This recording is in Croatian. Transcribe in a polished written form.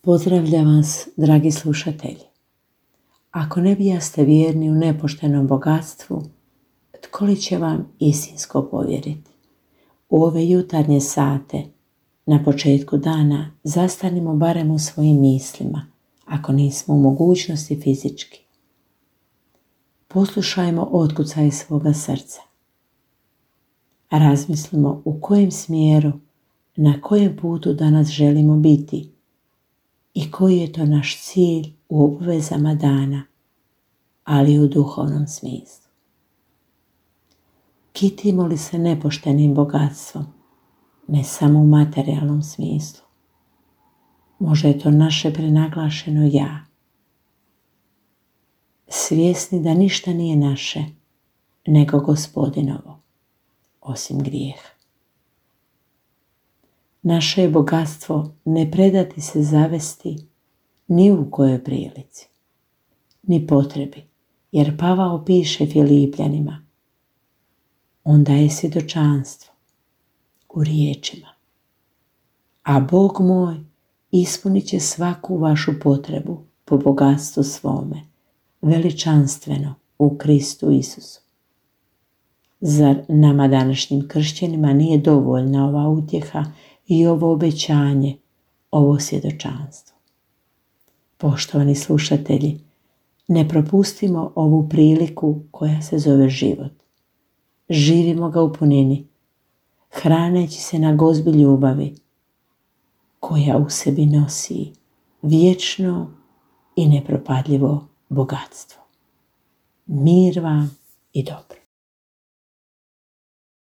Pozdravljam vas, dragi slušatelji. Ako ne bijaste vjerni u nepoštenom bogatstvu, tko li će vam istinsko povjeriti? U ove jutarnje sate, na početku dana, zastanimo barem u svojim mislima, ako nismo u mogućnosti fizički. Poslušajmo otkucaj svoga srca. Razmislimo u kojem smjeru, na kojem putu danas želimo biti i koji je to naš cilj u obvezama dana, ali u duhovnom smislu. Kitimo li se nepoštenim bogatstvom, ne samo u materijalnom smislu? Možda je to naše prenaglašeno ja. Svjesni da ništa nije naše, nego Gospodinovo, osim grijeha. Naše je bogatstvo ne predati se zavesti ni u kojoj prilici, ni potrebi, jer Pavao piše Filipljanima, on daje svjedočanstvo u riječima. A Bog moj ispunit će svaku vašu potrebu po bogatstvu svome, veličanstveno u Kristu Isusu. Zar nama današnjim kršćanima nije dovoljna ova utjeha i ovo obećanje, ovo svjedočanstvo? Poštovani slušatelji, ne propustimo ovu priliku koja se zove život. Živimo ga u punini, hraneći se na gozbi ljubavi, koja u sebi nosi vječno i nepropadljivo bogatstvo. Mir vam i dobro.